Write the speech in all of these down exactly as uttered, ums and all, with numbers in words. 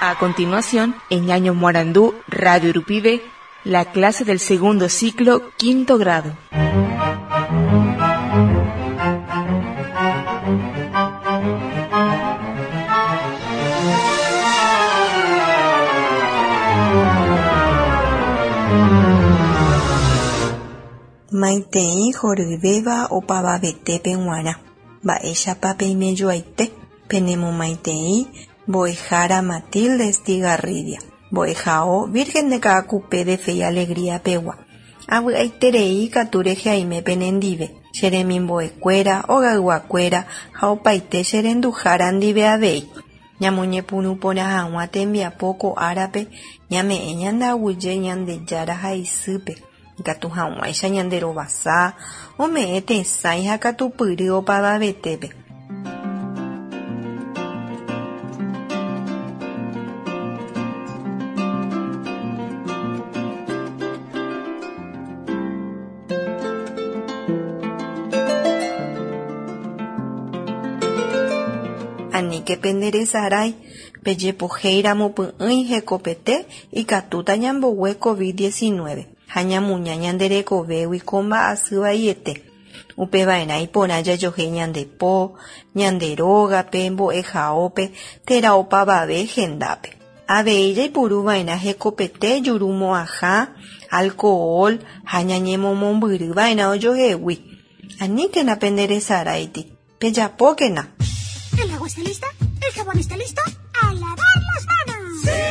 A continuación, en Ñaño Morandú, Radio Rupibe, la clase del segundo ciclo, quinto grado. Maitei horyvéva opavavetépe g̃uarã. Mba'éichapa peimejoaite penemomaitei mbo'ehára Matilde Estigarribia. Mbo'ehao Virgen de Caacupé de Fe y Alegría pegua. Avy'aiterei katu rehe aime penendive. Che remimbo'ekuéra, ogayguakuéra ha opaite che renduhára ndive avei. Ñamoñepyrũ porã hag̃ua tembiapo ko árape ñame'ẽ ñandaguyje Ñandejára ha isýpe. Ikatu hag̃uáicha ñanderovasa, ome'ẽ tesãi ha katupyry opavavetépe. Aníke penderesarái, pejepohéiramo py'ỹi hekopete ikatúta ñambogue COVID diecinueve ha ñamuña ñanderekovégui ko mba'asy vaiete. Upeva'erã iporã jajohéi ñandepo, ñande rógape, mbo'ehaópe térã opavave hendápe. Avei jaipuruva'erã hekopete jurumo'ãha, alcohol ha ñañemomombyryva'erã ojohegui. Aníkena penderesaráiti, pejapókena. ¿El agua está lista? ¿El jabón está listo? ¡A lavar las manos! ¡Sí!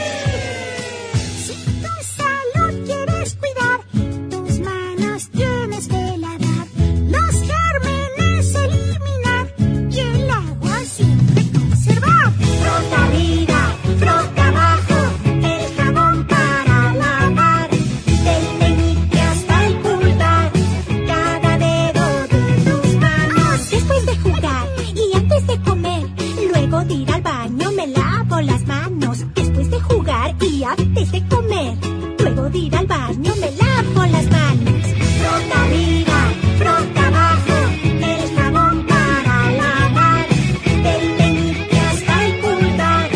Si tu salud quieres cuidar, tus manos tienes que lavar, los gérmenes eliminar y el agua siempre conservar. Frota arriba, frota abajo, el jabón para lavar, del meñique hasta el pulgar, cada dedo de tus manos. Después de jugar y antes de comer, luego de ir al baño me lavo las manos. Después de jugar y antes de comer, luego de ir al baño me lavo las manos. Frota arriba, frota abajo, el jabón para lavar, del meñique hasta el pulgar,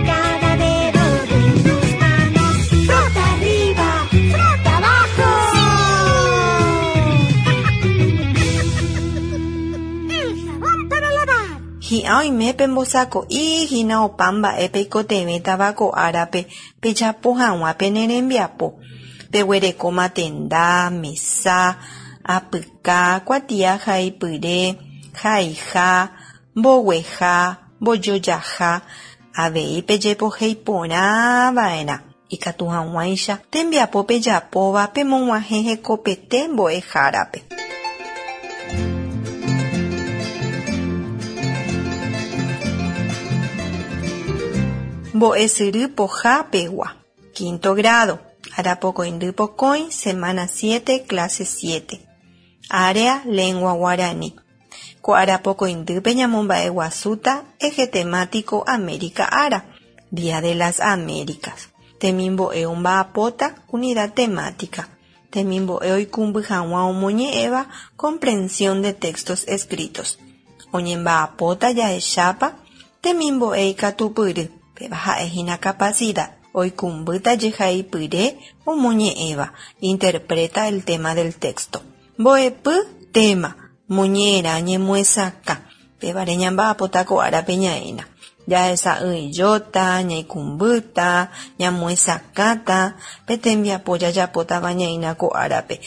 cada dedo de tus manos. Frota arriba, frota abajo. ¡Sí! El jabón para lavar. Hi'ã oime pembosako'i hína opa mba'e peikotevẽ tavako árape pejapo hag̃ua pene rembiapo. Peguerekóma tenda, mesa, apyka, kuatia haipyre, haiha, mbogueha, mbojojaha, avei pejepohéi porãva'erã. Ikatu hag̃uáicha tembiapo pejapóva pemog̃uahẽ hekopete mbo'ehárape. Mbo'esyry poha pegua. Quinto grado. Arapokõindy pokõi, semana siete, clase siete. Área, lengua guaraní. Ko arapokõindýpe ñamomba'eguasúta eje temático América Ára, Día de las Américas. Temimbo'e omba'apóta unidad temática. Temimbo'e oikũmby hag̃ua omoñe'ẽva comprensión de textos escritos. Oñemba'apóta jahechápa temimbo'e ikatupyry. Péva ha'ehína capacidad. Oikũmbýta jehaipyre omoñe'ẽva. Interpreta el tema del texto. Mbo'epy tema. Moñe'ẽrã ñemoesakã. Pévare ñamba'apóta ko árape ñaína. Jahesa'ỹijóta, ñaikũmbýta, ñamoesakãta, pe tembiapo jajapótava ñaína ko árape.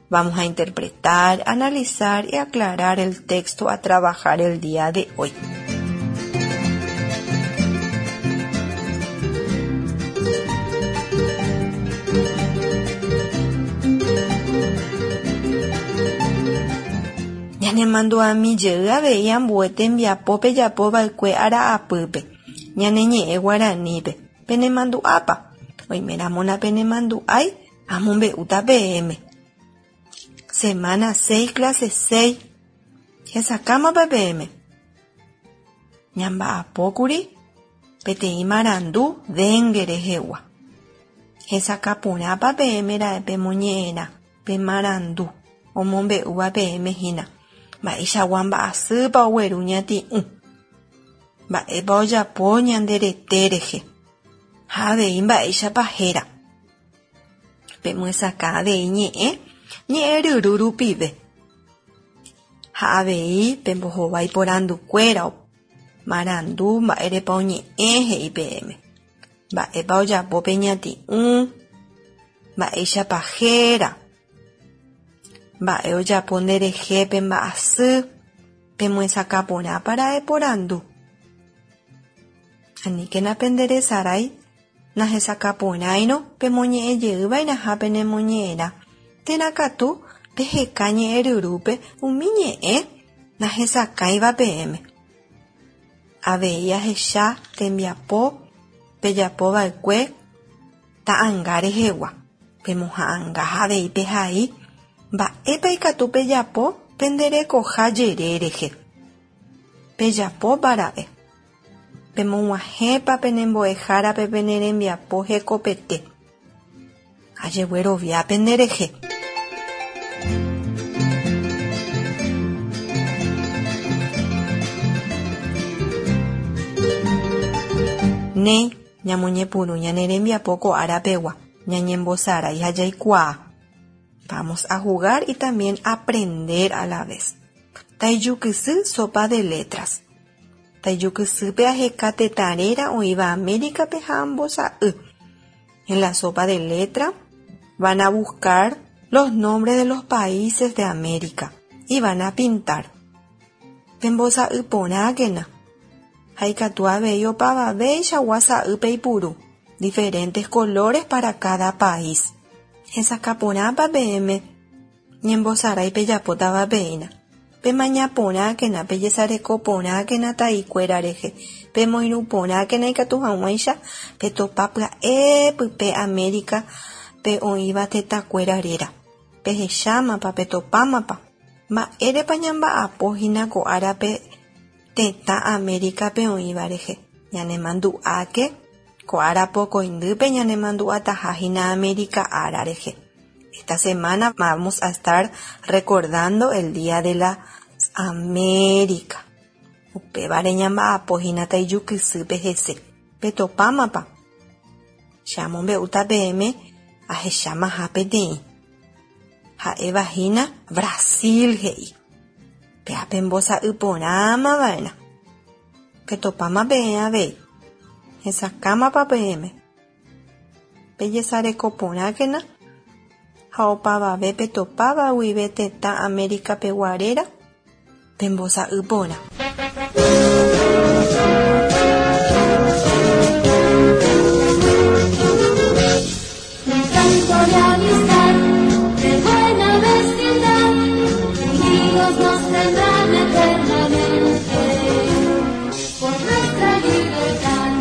Vamos a interpretar, analizar y aclarar el texto a trabajar el día de hoy. Ñanemandu'ami jey avei ambue tembiapo pejapova'ekue ara'apýpe, ñane ñe'ẽ guaranípe. Penemandu'ápa. Oiméramona penemandu'ái amombe'úta peẽme. Semana seis, clase seis. Hesakãmapa peẽme. Ñamba'apókuri peteĩ marandu dengue rehegua. Hesakãporãpa peẽme ra'e pemoñe'ẽrã pe marandu omombe'úva peẽme hína. Mba'eichagua mba'asýpa ogueru ñati'ũ. Mba'épa ojapo ñande rete rehe. Ha avei mba'éichapa héra. Pemyesakã avei ñe'ẽ ñe'ẽryru rupive. Ha avei pembohovái porandukuéra marandu mba'érepa oñe'ẽ he'i peẽme. Mba'épa ojapo pe ñati'ũ, mba'éichapa héra, mba'e ojapo nderehe pe mba'asy, pemyesakã porãpa ra'e porandu. Aníkena penderesarái nahesakãporãirõ pemoñe'ẽjeyva'erãha penemoñe'ẽrã térã katu peheka ñe'ẽryrúpe umi ñe'ẽ nahesakãiva peẽme. Avei ahecha tembiapo pejapova'ekue ta'ãnga rehegua. Pemoha'ãnga ha avei pehai mba'épa ikatu pejapo penderekoha jere rehe. Pejapópa ra'e. Pemog̃uahẽpa penembo'ehárape pene rembiapo hekopete. Ajeguerovia penderehe. Néi ñamoñepyrũ ñane rembiapo ko árapegua ñañembosarái ha jaikuaa. Vamos a jugar y también aprender a la vez. Taijukysy sopa de letras. Taijukysýpe aheka tetã réra oĩva Américape ha ambosa'y. En la sopa de letra van a buscar los nombres de los países de América y van a pintar. Pembosa'y porãkena. Ha ikatu avei opavavéichagua sa'y peipuru. Diferentes colores para cada país. Hesakãporãpa peẽme ñembosarái pejapótava peína. Pemaña porãkena, pejesareko porãkena ta'ikuéra rehe. Pemoirũ porãkena ikatu hag̃uáicha petopa pya'e pype América pe oĩva tetãkuéra réra. Pehechámapa, petopámapa. Mba'érepa ñamba'apohína ko árape tetã Américape oĩva rehe. Ñanemandu'áke ko ára pokõindýpe ñanemandu'atahahína América ára rehe. Esta semana vamos a estar recordando el Día de la América. Upévare ñamba'apohína taijukysýpe hese. Petopámapa. Che amombe'úta peẽme ahechámaha peteĩ. Ha'evahína Brasil he'i. Péa pembosa'y porãmava'erã. Petopáma peẽ avei. Hesakãmapa peẽme. Pejesareko porãkena ha opavave petopáva guive tetã América-pegua réra pembosa'y porã. Un canto de amistad, de buena vecindad, unidos nos tendrán eternamente. Por nuestra libertad,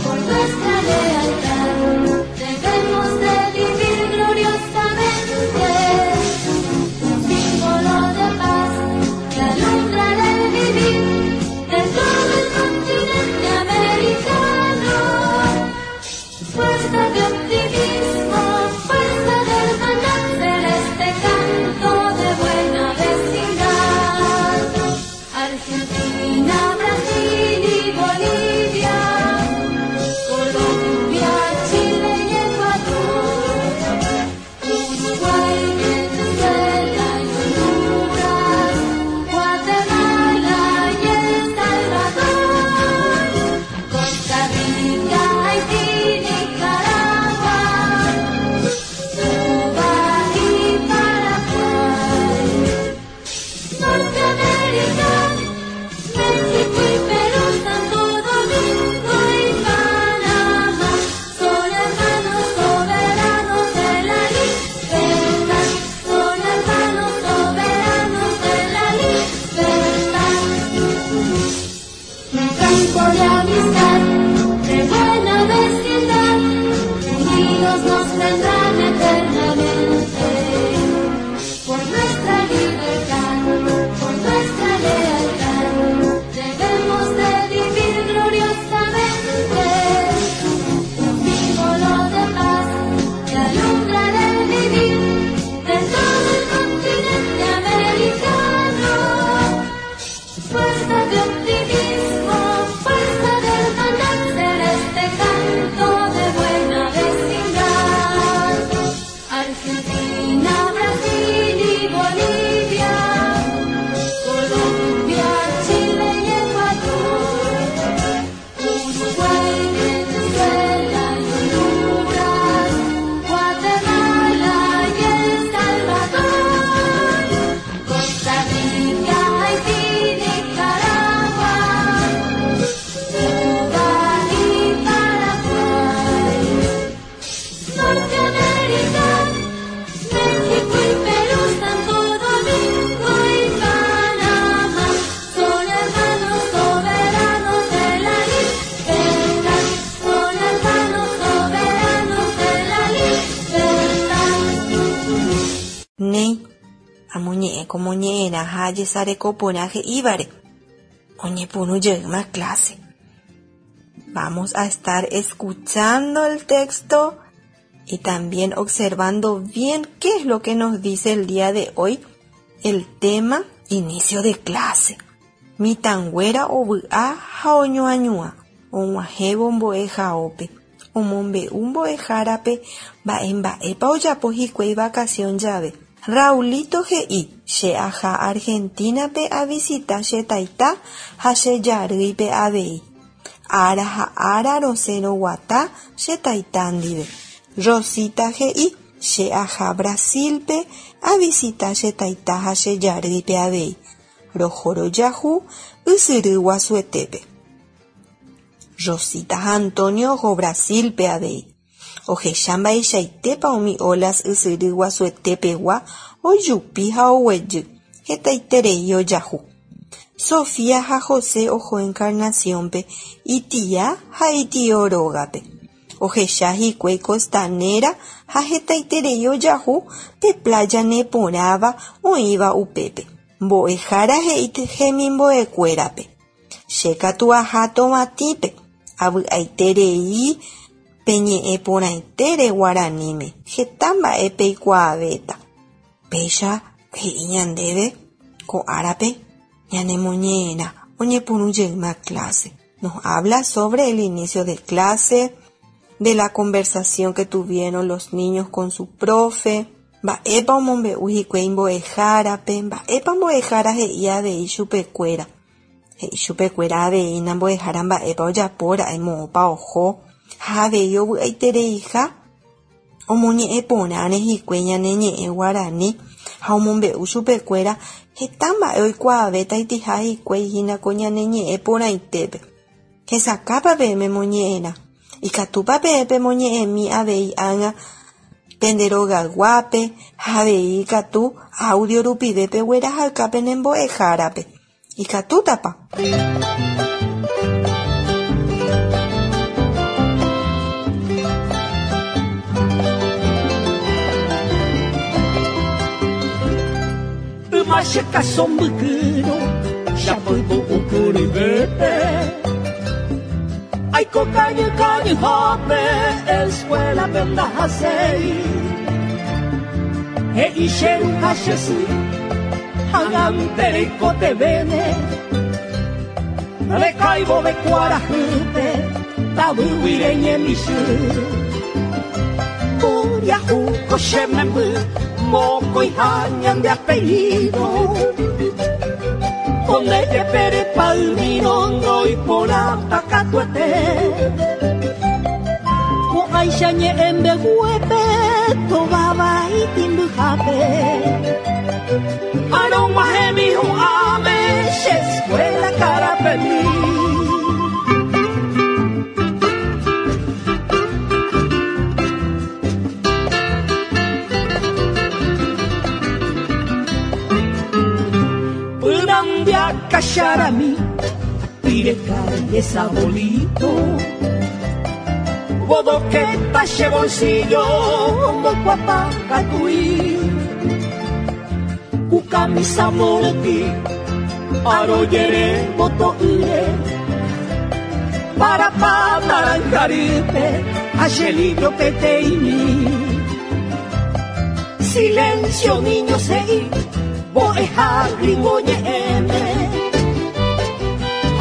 por nuestra lealtad, debemos de vivir gloriosamente. Un símbolo de paz que alumbra el vivir. Argentina, Brasil y Bolivia, Colombia, Chile y Ecuador, Uruguay, Venezuela y Honduras, Guatemala y El Salvador, Costa Rica, Haití, Nicaragua, Cuba y Paraguay. Norteamérica, México y Perú, Santo Domingo y Panamá, son hermanos soberanos de la libertad, son hermanos soberanos de la libertad. Néi, amoñe'ẽ ko moñe'ẽrã ha ajesarekoporã he'ívare. Oñepyrũ jeýma clase. Vamos a estar escuchando el texto y también observando bien qué es lo que nos dice el día de hoy el tema inicio de clase. Mitãnguéra ovy'a ha oñoañuã og̃uahẽvo mbo'ehaópe omombe'u mbo'ehárape mba'emba'épa ojapo hikuái vacación jave. Raulito he'i che aha Argentina-pe avisita che taita ha che jarýipe avei. Ára ha ára rosẽ roguata che taita ndive. Rosita he'i che aha Brasil-pe avisita che taita ha che jarýipe avei. Roho rojahu ysyry guasuetépe. Rosita ha Antonio oho Brasil-pe avei. Ohecha mba'eichaitépa umi olas ysyry guasuetepegua ojupi ha oguejy hetaiterei ojahu. Sofía ha José oho Encarnación-pe itia ha itio rógape. Ohecha hikuái costanera ha hetaiterei ojahu pe playa neporãva oĩva upépe. Mbo'ehára he'i hemimbo'ekuérape. Che katu aha Tovatĩpe avy'aiterei peñe'ẽ porãitére guaraníme heta mba'e peikuaavéta. Péicha he'i ñandéve ko árape ñanemoñe'ẽrã oñepyrũ jeýma clase. Nos habla sobre el inicio de clase, de la conversación que tuvieron los niños con su profe, mba'épa omombe'u hikuái mbo'ehárape, mba'épa mbo'ehára he'i avei chupekuéra. He'i chupekuéra avei nambo'ehára mba'épa ojapóra'e moõpa oho ha avei ovy'aitereiha omoñe'ẽ porãre hikuái ñane ñe'ẽ guarani ha omombe'u chupekuéra heta mba'e oikuaavéta itiha hikuái hína ko ñane ñe'ẽ porãitépe. Hesakãpa peẽme moñe'ẽrã. Ikatúpa peẽ pemoñe'ẽmi avei ág̃a pende rogayguápe ha avei ikatu audio rupive peguerahaka pene mbo'ehárape. Ikatútapa. Yma che káso mbykýrõ chapytu okyryvépe Aiko kañy kañyhápe escuela-pe ndahaséi He'i che ru ha che sy ág̃ante reikotevẽne Rekaivove kuarahýpe tavýgui reñemichy Mboriahu ko che memby mokõiha ñande apellido Onde jepere palmiro ndoiporãta katuete Ko'ãicha ñe'ẽmbeguépe tovavai tĩmbyhápe Arõg̃uahẽmi hu'ãme che escuela karapemi. Kacharami, pire esa bolito. Bodoqueta che bolsillo, mocuapa catui. Kukamisa moroti, aroyere botoire. Para pa naranjaripe, achelillo peteimi. Silencio niño sei, boeja gringo ñe'ẽme.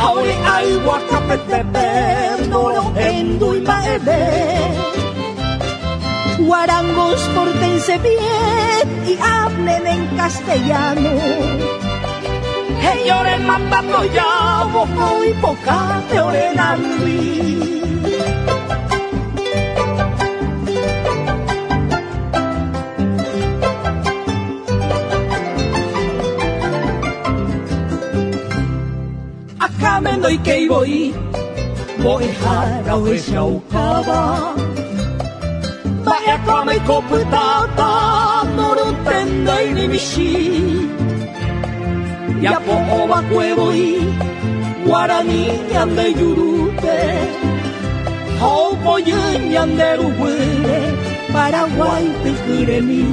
Aore agua capetepe, noro endu mba'eve. Guarangos, pórtense bien y hablen en castellano. Hey, ore mapa ya, bojo y poca te orenambi. Acá me doy que voy, voy jara o echaucaba. Vaya come coputata, norutendo y ni mishi. Ya po va cuevo y guaraní ñande yurute. Haupo ñande ruwe, Paraguay te juremi.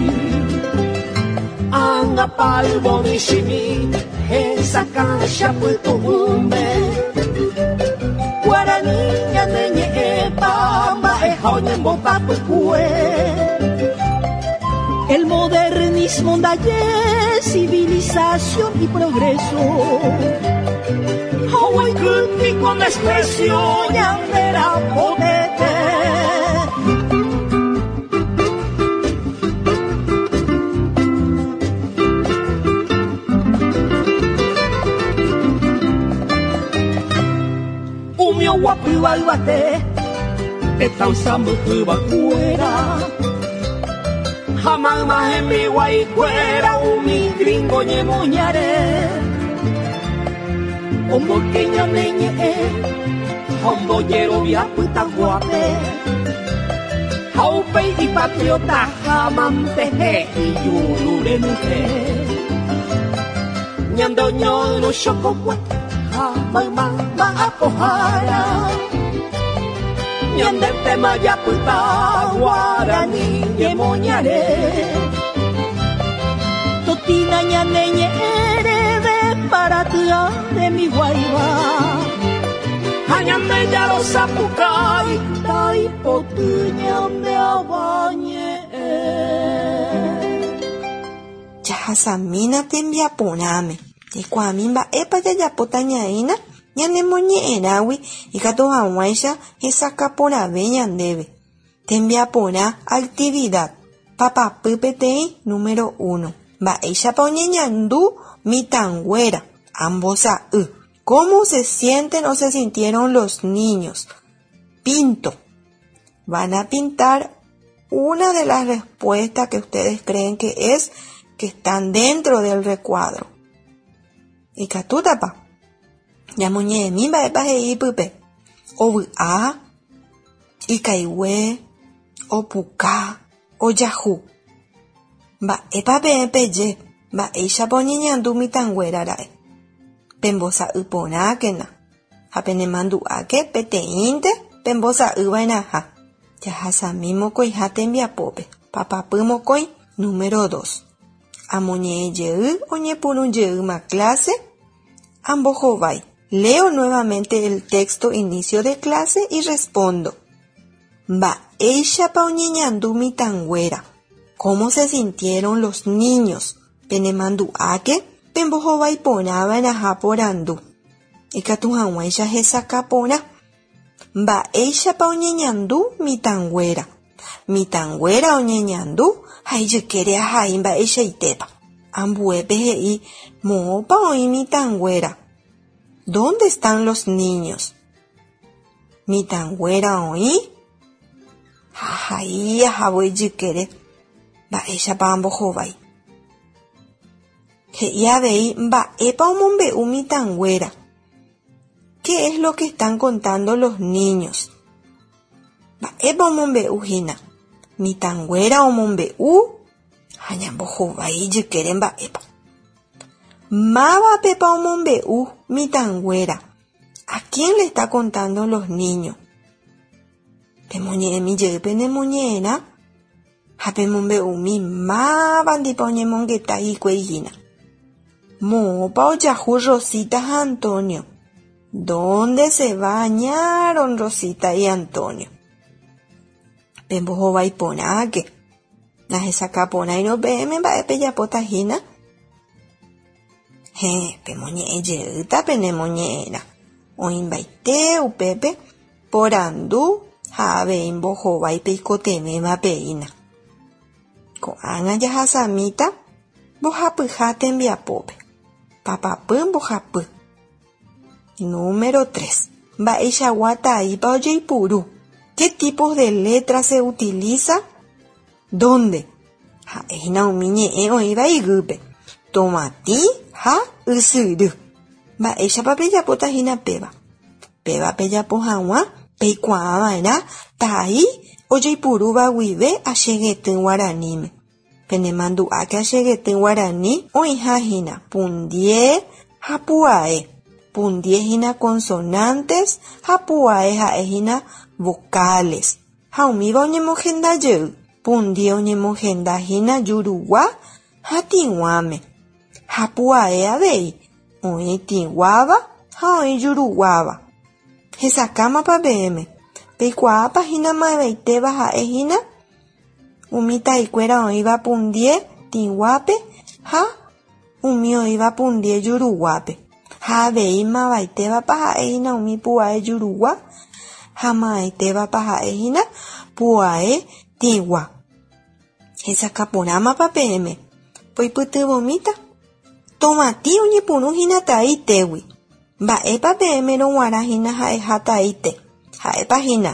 Anga palbo mishimi, esa cancha puto umbe. Guaraní ñande ñepa, El modernismo dalle civilización y progreso. Hawaii con desprecio ñandera potete. Umio guapu albate. Tetausambu cuera Jamás más en mi guaycuera umi gringo ñemoñare Ombo queña neñe Hombo yero viaputa guape Jaupe y patriota jamante y yurure nuje Ñando ñoro xococue Jamás más ma apojara Ñandete mayaputa guaraní ñemoñare Totina ñaneñe erebe para tua de mi guayba Añande ya los zapucay taipotu ñande abañe. Yahasamina tembiaporãme Ikuaami mba'épa jajapóta ñaína ñanemoñe'ẽrãgui ikatu hag̃uáicha hesakãporãve ñandéve. Tembiaporã actividad. Papapy peteĩ número uno. Mba'éichapa oñeñandu mitãnguéra ambosa'y. ¿Cómo se sienten o se sintieron los niños? Pinto. Van a pintar una de las respuestas que ustedes creen que es que están dentro del recuadro. Ikatútapa. Ñamoñe'ẽmi mba'épa he'i pype. Ovy'a, ikaigue, opuka, ojahu. Mba'épa peẽ peje, mba'éichapa oñeñandu mitãnguéra ra'e. Pembosa'y porãkena ha penemandu'áke peteĩnte pembosa'yva'erãha. Jahasami mokõiha tembiapópe. Papapy mokõi número dos. Amoñe'ẽ jey oñepyrũ jeýma clase ambohovái. Leo nuevamente el texto inicio de clase y respondo. Mba'éichapa oñeñandu mitãnguéra. ¿Cómo se sintieron los niños? Penemandu'áke pembohovái porãva'erãha porandu. Ikatu hag̃uáicha hesakãporã. Mba'éichapa oñeñandu mitãnguéra. Mitãnguéra oñeñandu ha ijykére ahai mba'eichaitépa. Ambuépe he'i moõpa oĩ mitãnguéra. ¿Dónde están los niños? Mitãnguéra oĩ ha ahai ahávo ijykére mba'éichapa ambohovái. He'i avei mba'épa omombe'u mitãnguéra. ¿Qué es lo que están contando los niños? Mba'épa omombe'u hína. Mitãnguéra omombe'u ha ñambohovái ijykére mba'épa. Mávapepa omombe'u mitãnguéra. ¿A quién le está contando los niños? Pemoñe'ẽmi jey penemoñe'ẽrã ha pemombe'umi mávandipa oñemongeta hikuái hína. Moõpa ojahu Rosita ha Antonio. ¿Dónde se bañaron Rosita y Antonio? Pembohovái porãke. Nahesakãporãirõ peẽme mba'e pejapóta hína. Héẽ, pemoñe'ẽ jeýta penemoñe'ẽrã. Oĩmbaite upépe porandu ha avei mbohovái peikotevẽva peína. Ko'ág̃a jahasamíta mbohapyha tembiapópe. Papapy mbohapy. Número tres. Mba'eichagua taípa ojeipuru. ¿Qué tipos de letras se utiliza? ¿Dónde? Ha'ehína umi ñe'ẽ oĩva iguýpe. Tomatĩ ha ysyry. Mba'éichapa pejapóta hína péva. Péva pejapo hag̃ua peikuaava'erã tai ojeipurúva guive achegety guaraníme. Penemandu'áke achegety guarani oĩhahína pundie ha pu'ae. Pundie hína consonantes ha pu'ae ha'ehína vocales. Ha umíva oñemohendajey. Pundie oñemohendahína jurugua ha tĩguáme. Ha pu'ae avei oĩ tĩguáva ha oĩ juruguáva. Hesakãmapa peẽme. Peikuaápa hína mavaitéva ha'ehína umi taikuéra oĩva pundie tĩguápe ha umi oĩva pundie juruguápe. Ha avei mavaitévapa ha'ehína umi pu'ae jurugua ha mavaitévapa ha'ehína pu'ae tĩgua. Hesakãporãmapa peẽme. Poipytyvõmíta. Tomatĩ oñepyrũhína tai tégui. Mba'épa peẽme rog̃uarãhína ha'eha tai te. Ha'épa hína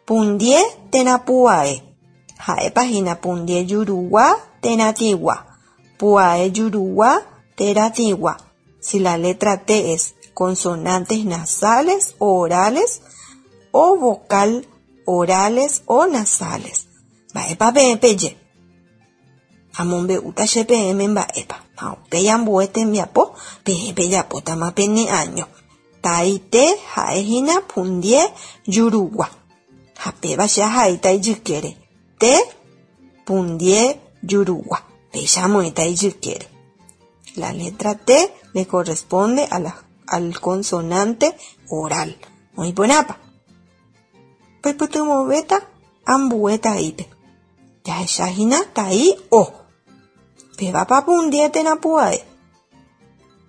pundie térã pu'ae. Ha'épa hína pundie jurugua térã tĩgua. Pu'ae jurugua térã tĩgua. Si la letra T es consonantes nasales o orales o vocal orales o nasales. Mba'épa peẽ peje. Amombe'úta che peẽme mba'épa. Ha upéi ambue tembiapo peẽ pejapótama peneaño. Tai T ha'ehína pundie jurugua. Ha péva che ahaíta ijykére. T pundie jurugua. Péicha amoĩta ijykére. La letra T le corresponde a la, al consonante oral. Oĩporãpa. Peipytyvõvéta ambue taípe. Jahechahína tai O. Pévapa pundie térã pu'ae.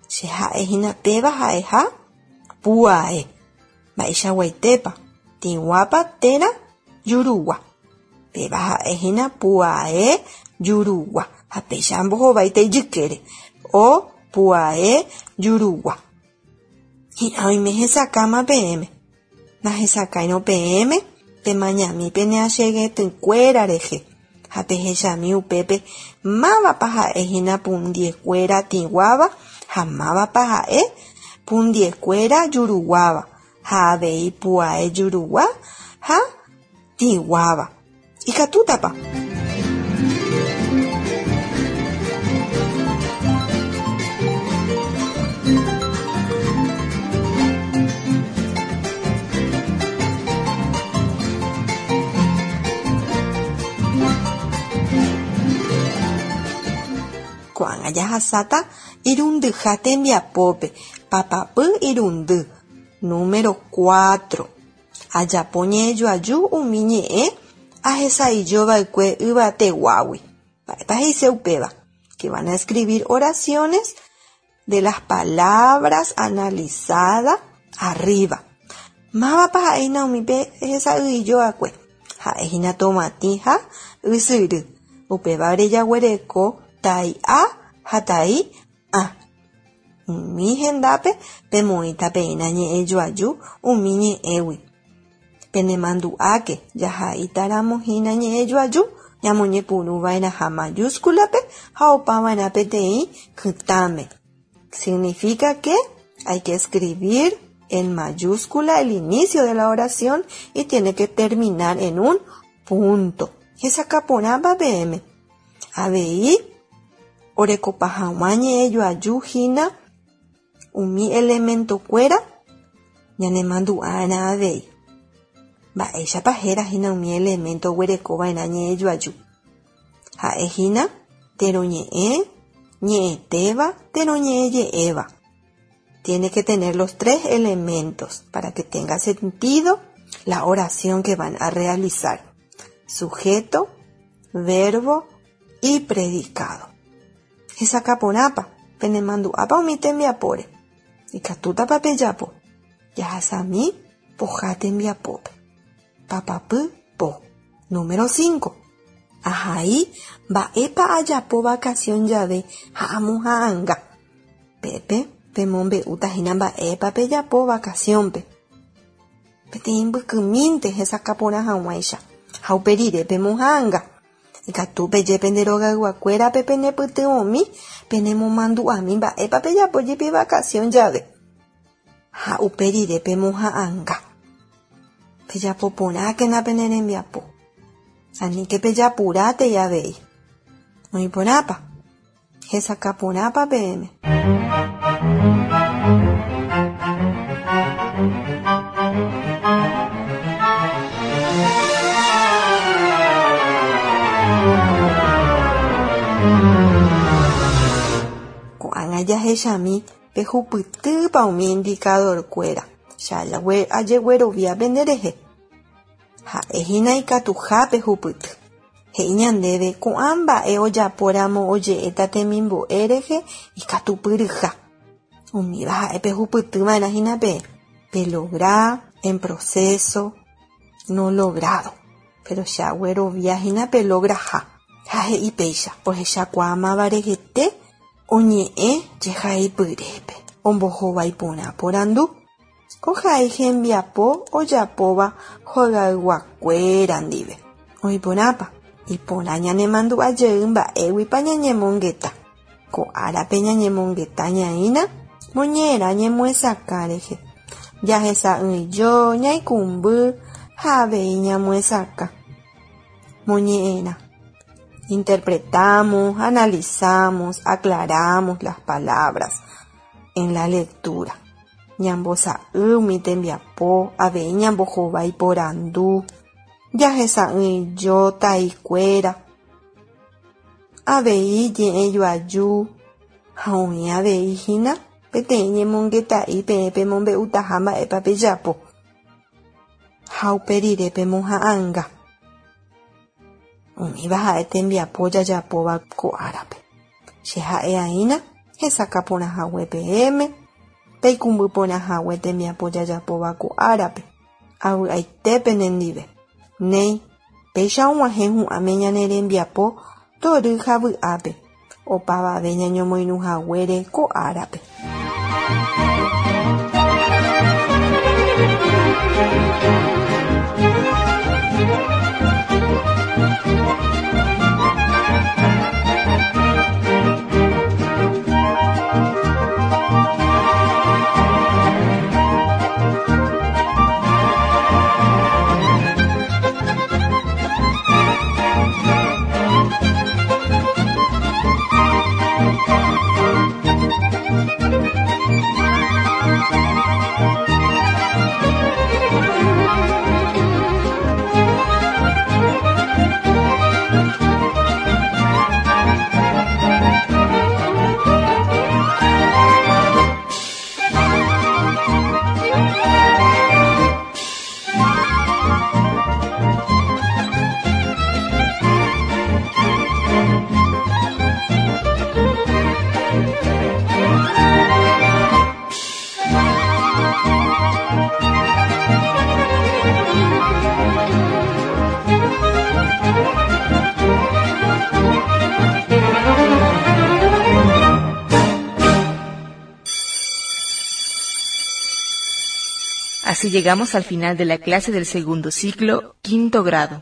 Che ha'ehína péva ha'eha pu'ae. Mba'eichaguaitépa tĩguápa térã jurugua. Péva ha'ehína pu'ae jurugua. Ha péicha ambohováita ijykére. O pu'ae jurugua. Hi'ã oime hesakãma peẽme. Nahesakãirõ peẽme pemañami pene achegetỹkuéra rehe. Ha pehechami upépe mávapa ha'ehína pundiekuéra tĩguáva ha mávapa ha'e pundiekuéra juruguáva ha avei pu'ae jurugua ha tĩguáva. Ikatútapa. Ko'ág̃a jahasáta irundyha tembiapópe. Papapy irundy. Número cuatro. Ajapo ñe'ẽjoaju umi ñe'ẽ ahesa'ỹijova'ekue yvateguágui. Mba'épa he'ise upéva. Que van a escribir oraciones de las palabras analizadas arriba. Mávapa ha'ehína umi pe hesa'ỹijo'akue. Ha'ehína tomatĩ ha ysyry. Upévare jaguereko tai a ha tai ã. Umi hendápe pemoĩta peína ñe'ẽjoaju umi ñe'ẽgui. Penemandu'áke jahaítaramohína ñe'ẽjoaju ñamoñepyrũva'erãha mayúsculape ha opava'erã peteĩ kytãme. Significa que hay que escribir en mayúscula el inicio de la oración y tiene que terminar en un punto. Hesakãporãpa peẽme. Avei orekopa hag̃ua ñe'ẽjoajuhína umi elementokuéra ñanemandu'ána avei. Mba'éichapa hérahína umi elemento oguerekova'erã ñe'ẽjoaju. Ha'ehína teroñe'ẽ, ñe'ẽtéva, teroñe'ẽje'éva. Tiene que tener los tres elementos para que tenga sentido la oración que van a realizar. Sujeto, verbo y predicado. Hesakãporãpa, penemandu'ápa umi tembiapóre. Ikatútapa pejapo. Jahasami poha tembiapópe. Papapy po. Número cinco. Ahai mba'épa ajapo vacación jave ha amoha'ãnga. Pépe pemombe'útahína mba'épa pejapo vacaciónpe. Peteĩ mbykymínte hesakãporã hag̃uáicha ha uperire pemoha'ãnga. Ikatu peje pende rogayguakuérape penepytyvõmi penemomandu'ami mba'épa pejapo jepi vacación jave. Ha uperire pemoha'ãnga. Pejapoporãkena pene rembiapo. Aníke pejapurátei avei. Oĩporãpa. Hesakãporãpa peẽme. Ko'ág̃a jahechami pehupytýpa umi indicadorkuéra che ajeguerovia penderehe. Ha'ehína ikatuha pehupyty. He'i ñandéve ko'ã mba'e ojapóramo oje'éta temimbo'e rehe ikatupyryha. Umíva ha'e pehupytyva'erãhína peẽ. Pelogra, en proceso, no logrado. Pero che agueroviahína pelograha. Ha he'i péicha ohechakuaámava rehete oñe'ẽ jehaipyrépe. Ombohovaiporã porandu. Ohai hembiapo ojapóva hogayguakuéra ndive. Oĩporãpa. Iporã ñanemandu'ajey mba'éguipa ñañemongeta. Ko árape ñañemongeta ñaína moñe'ẽrã ñemoesakã rehe. Jahesa'ỹijo, ñaikũmby ha avei ñamoesakã. Moñe'ẽrã. Interpretamos, analizamos, aclaramos las palabras en la lectura. Ñambosa'y umi tembiapo, avei ñambohovái porandu, jahesa'ỹijo taikuéra, avei ñe'ẽjoaju ha oĩ avei hína peteĩ ñemongeta'i peẽ pemombe'utaha mba'épa pejapo. Ha uperire pemoha'ãnga. Umíva ha'e tembiapo jajapóva ko árape. Che ha'e'aína hesakãporãhague peẽme, peikũmbyporãhague tembiapo jajapóva ko árape. Avy'aite penendive. Néi, péicha og̃uahẽ hu'ãme ñane rembiapo tory ha vy'ápe. Opavave ñañomoirũhaguére ko árape. Así llegamos al final de la clase del segundo ciclo, quinto grado.